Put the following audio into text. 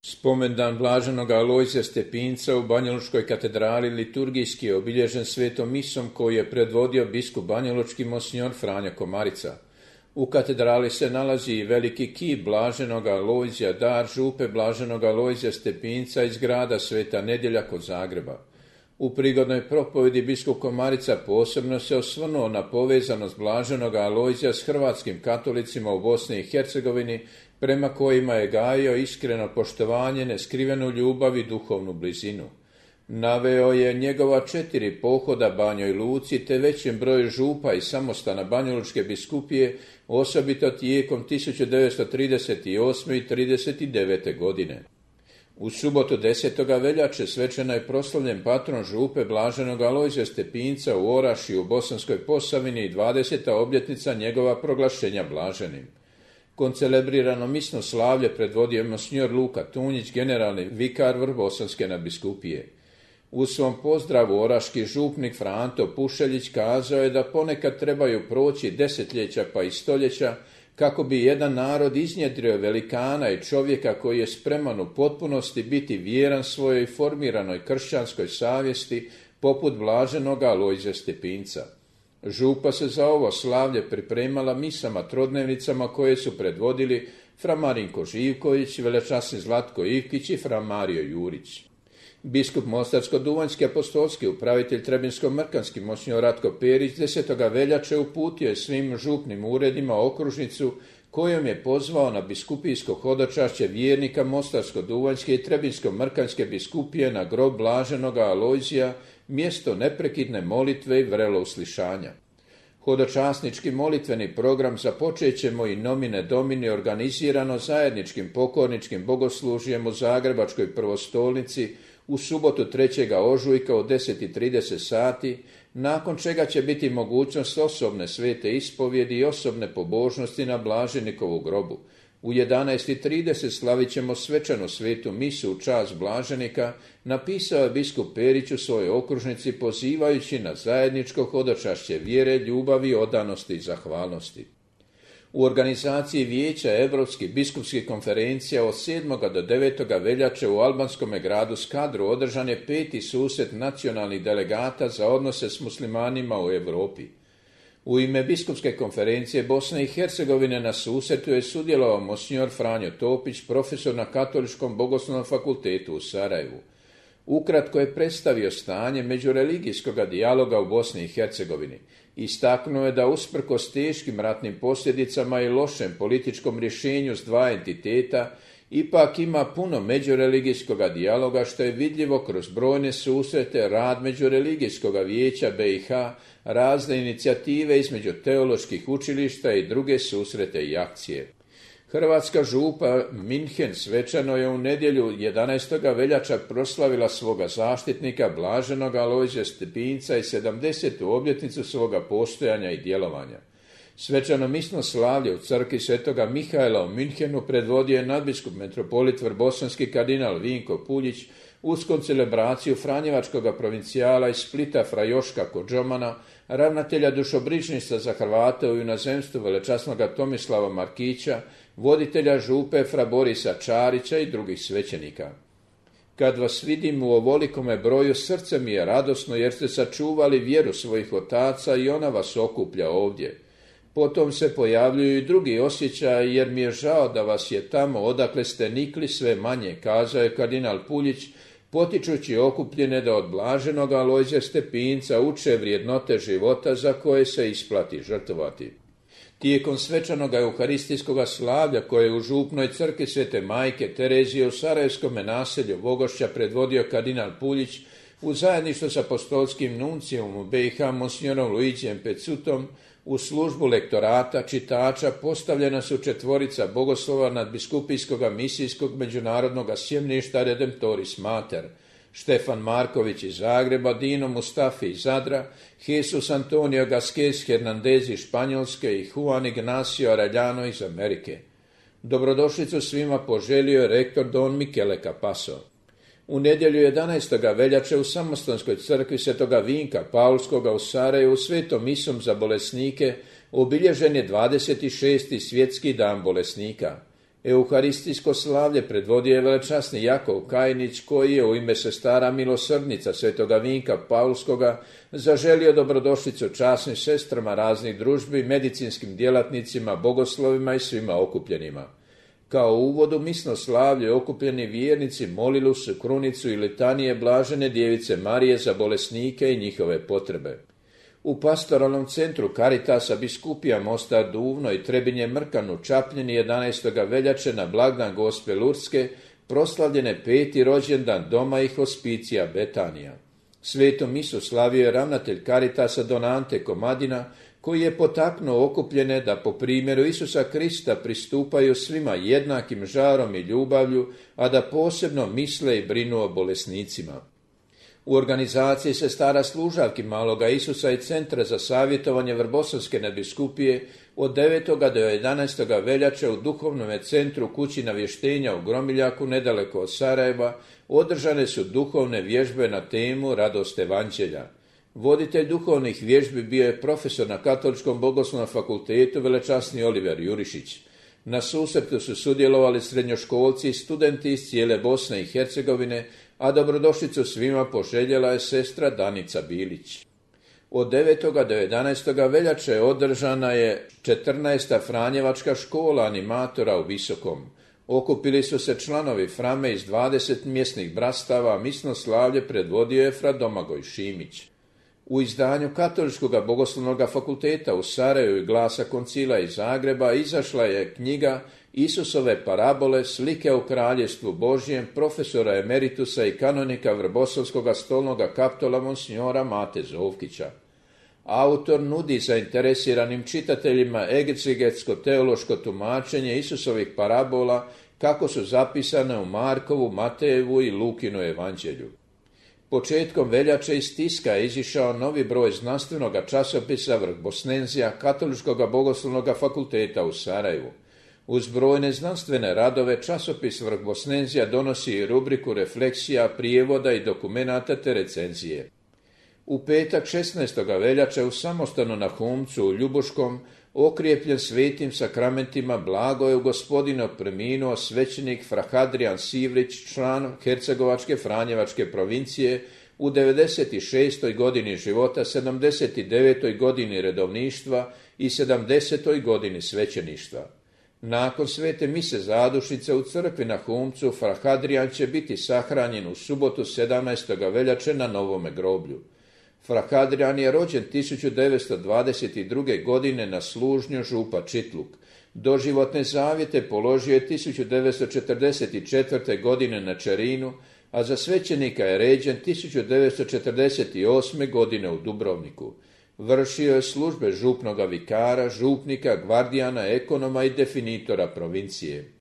Spomendan blaženog Alojzija Stepinca u Banjalučkoj katedrali liturgijski je obilježen svetom misom koju je predvodio biskup banjalučki monsignor Franjo Komarica. U katedrali se nalazi i veliki kip blaženog Alojzija, dar župe blaženog Alojzija Stepinca iz grada Sveta Nedjelja kod Zagreba. U prigodnoj propovedi biskup Komarica posebno se osvrnuo na povezanost blaženog Alojzija s hrvatskim katolicima u Bosni i Hercegovini, prema kojima je gajio iskreno poštovanje, neskrivenu ljubav i duhovnu blizinu. Naveo je njegova 4 pohoda Banjoj Luci te većem broju župa i samostana Banjalučke biskupije, osobito tijekom 1938. i 1939. godine. U subotu 10. veljače svečano je proslavljen patron župe blaženog Alojzija Stepinca u Orašju u Bosanskoj Posavini i 20. obljetnica njegova proglašenja blaženim. Koncelebrirano misno slavlje predvodio monsignor Luka Tunjić, generalni vikar Vrbosanske nadbiskupije. U svom pozdravu oraški župnik Franto Pušeljić kazao je da ponekad trebaju proći desetljeća pa i stoljeća kako bi jedan narod iznjedrio velikana i čovjeka koji je spreman u potpunosti biti vjeran svojoj formiranoj kršćanskoj savjesti poput blaženog Alojzija Stepinca. Župa se za ovo slavlje pripremala misama trodnevnicama koje su predvodili fra Marinko Živković, velečasni Zlatko Ivkić i fra Mario Jurić. Biskup Mostarsko-Duvanjski apostolski upravitelj Trebinsko-Mrkanski monsignor Ratko Perić 10. veljače uputio je svim župnim uredima okružnicu kojom je pozvao na biskupijsko hodočašće vjernika Mostarsko-Duvanjske i Trebinsko-Mrkanske biskupije na grob blaženoga Alojzija, mjesto neprekidne molitve i vrelo uslišanja. Hodočasnički molitveni program započet ćemo i nomine domini organizirano zajedničkim pokorničkim bogoslužjem u Zagrebačkoj prvostolnici u subotu 3. ožujka u 10:30 sati, nakon čega će biti mogućnost osobne svete ispovjedi i osobne pobožnosti na blaženikovu grobu. U 11:30 slavit ćemo svečanu svetu misu u čast blaženika, napisao je biskup Perić u svojoj okružnici pozivajući na zajedničko hodočašće vjere, ljubavi, odanosti i zahvalnosti. U organizaciji Vijeća Europskih biskupskih konferencija od 7. do 9. veljače u albanskome gradu Skadru održan je 5. susret nacionalnih delegata za odnose s muslimanima u Europi. U ime biskupske konferencije Bosne i Hercegovine na susretu je sudjelovao monsignor Franjo Topić, profesor na Katoličkom bogoslovnom fakultetu u Sarajevu. Ukratko je predstavio stanje međureligijskog dijaloga u Bosni i Hercegovini. Istaknuo je da usprkos teškim ratnim posljedicama i lošem političkom rješenju s 2 entiteta, ipak ima puno međureligijskog dijaloga što je vidljivo kroz brojne susrete, rad Međureligijskog vijeća BiH, razne inicijative između teoloških učilišta i druge susrete i akcije. Hrvatska župa Minhen svečano je u nedjelju 11. veljača proslavila svoga zaštitnika blaženog Alojzija Stepinca i 70. obljetnicu svoga postojanja i djelovanja. Svečano misno slavlje u crkvi Svetoga Mihaela u Minhenu predvodio je nadbiskup metropolit vrbosanski kardinal Vinko Puljić uz koncelebraciju Franjevačkog provincijala iz Splita fra Joška Kodžomana, ravnatelja dušobrižništva za Hrvate u inozemstvu velečasnog Tomislava Markića, voditelja župe fra Borisa Čarića i drugih svećenika. Kad vas vidim u ovolikome broju, srce mi je radosno jer ste sačuvali vjeru svojih otaca i ona vas okuplja ovdje. Potom se pojavljuju i drugi osjećaji jer mi je žao da vas je tamo odakle ste nikli sve manje, kazao je kardinal Puljić, potičući okupljene da od blaženog Alojzija Stepinca uče vrijednote života za koje se isplati žrtvovati. Tijekom svečanog euharistijskog slavlja koje je u župnoj crkvi Svete Majke Terezije u Sarajevskom naselju Vogošća predvodio kardinal Puljić u zajedništvu s apostolskim nuncijom u BiH monsignorom Luigijem Pecutom, u službu lektorata, čitača postavljena su 4 bogoslova nadbiskupijskog misijskog međunarodnog sjemništa Redemptoris Mater, Štefan Marković iz Zagreba, Dino Mustafi iz Zadra, Jesus Antonio Gasquez Hernandez iz Španjolske i Juan Ignacio Arellano iz Amerike. Dobrodošlicu svima poželio je rektor Don Michele Capasso. U nedjelju 11. veljače u Samostanskoj crkvi Svetoga Vinka Paulskoga u Sarajevu svetom misom za bolesnike obilježen je 26. svjetski dan bolesnika. Euharistijsko slavlje predvodio je velečasni Jakov Kajnić, koji je u ime sestara milosrdnica Svetoga Vinka Paulskoga zaželio dobrodošlicu časnim sestrama raznih družbi, medicinskim djelatnicima, bogoslovima i svima okupljenima. Kao uvod u misno slavlje okupljeni vjernici molili su krunicu i litanije blažene djevice Marije za bolesnike i njihove potrebe. U pastoralnom centru Caritasa biskupija Mostar Duvno i Trebinje Mrkan u Čapljini 11. veljače na blagdan Gospe Lurske proslavljene 5. rođendan doma i hospicija Betanija. Svetu misu slavio je ravnatelj Caritasa Don Ante Komadina, koji je potaknuo okupljene da po primjeru Isusa Krista pristupaju svima jednakim žarom i ljubavlju, a da posebno misle i brinu o bolesnicima. U organizaciji sestara služavki Maloga Isusa i Centra za savjetovanje Vrbosavske nadbiskupije od 9. do 11. veljače u duhovnom centru Kući navještenja u Gromiljaku, nedaleko od Sarajeva, održane su duhovne vježbe na temu Radost evanđelja. Voditelj duhovnih vježbi bio je profesor na Katoličkom bogoslovnom fakultetu velečasni Oliver Jurišić. Na susretu su sudjelovali srednjoškolci i studenti iz cijele Bosne i Hercegovine, a dobrodošlicu svima poželjela je sestra Danica Bilić. Od 9. do 11. veljače održana je 14. Franjevačka škola animatora u Visokom. Okupili su se članovi Frame iz 20 mjesnih brastava, misno slavlje predvodio je fra Domagoj Šimić. U izdanju Katoličkog bogoslovnog fakulteta u Sarajevu i Glasa koncila iz Zagreba izašla je knjiga Isusove parabole, slike u kraljevstvu Božjem, profesora emeritusa i kanonika Vrbosavskog stolnog kaptola monsignora Mate Zovkića. Autor nudi zainteresiranim čitateljima egzegetsko-teološko tumačenje Isusovih parabola kako su zapisane u Markovu, Matejevu i Lukinu evanđelju. Početkom veljače iz tiska je izišao novi broj znanstvenog časopisa Vrbosnenzija Katoličkog bogoslovnog fakulteta u Sarajevu. Uz brojne znanstvene radove časopis Vrbosnenzija donosi i rubriku refleksija, prijevoda i dokumenata te recenzije. U petak 16. veljače u samostanu na Humcu u Ljubuškom, okrijepljen svetim sakramentima, blago je u Gospodinu preminuo svećenik fra Hadrijan Sivrić, član Hercegovačke Franjevačke provincije, u 96. godini života, 79. godini redovništva i 70. godini svećeništva. Nakon svete mise zadušnice u crkvi na Humcu, fra Hadrijan će biti sahranjen u subotu 17. veljače na Novome groblju. Fra Hadrijan je rođen 1922. godine na Služnju, župa Čitluk. Doživotne zavjete položio je 1944. godine na Čerinu, a za svećenika je ređen 1948. godine u Dubrovniku. Vršio je službe župnoga vikara, župnika, gvardijana, ekonoma i definitora provincije.